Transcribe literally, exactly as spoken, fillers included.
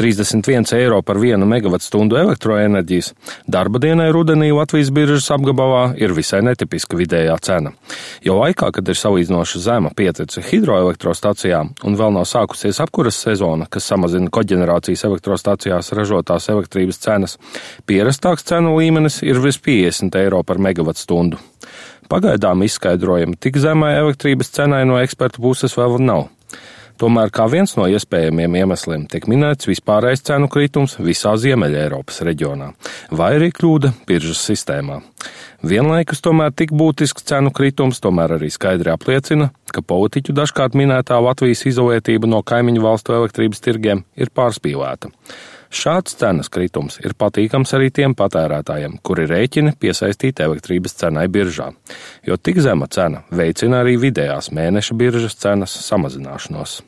trīsdesmit viens eiro par vienu megavatstundu elektroenerģijas, darba dienai rudenī Latvijas biržas apgabalā ir visai netipiska vidējā cena. Jo laikā, kad ir salīdzinoši zema pieteca hidroelektrostacijām un vēl nav sākusies apkuras sezona, kas samazina koģenerācijas elektrostacijās ražotās elektrības cenas, pierastāks cenu līmenis ir virs piecdesmit eiro par megavatstundu. Pagaidām izskaidrojumi tik zemai elektrības cenai no ekspertu puses vēl nav. Tomēr kā viens no iespējamiem iemesliem tiek minēts vispārējais cenu kritums visā Ziemeļa Eiropas reģionā, vai arī kļūda biržas sistēmā. Vienlaikus tomēr tik būtisks cenu kritums tomēr arī skaidri apliecina, ka politiķu dažkārt minētā Latvijas izolētība no kaimiņu valstu elektrības tirgiem ir pārspīlēta. Šāds cenas kritums ir patīkams arī tiem patērētājiem, kuri rēķina piesaistīt elektrības cenai biržā, jo tik zema cena veicina arī vidējās mēneša biržas cenas samazināšanos.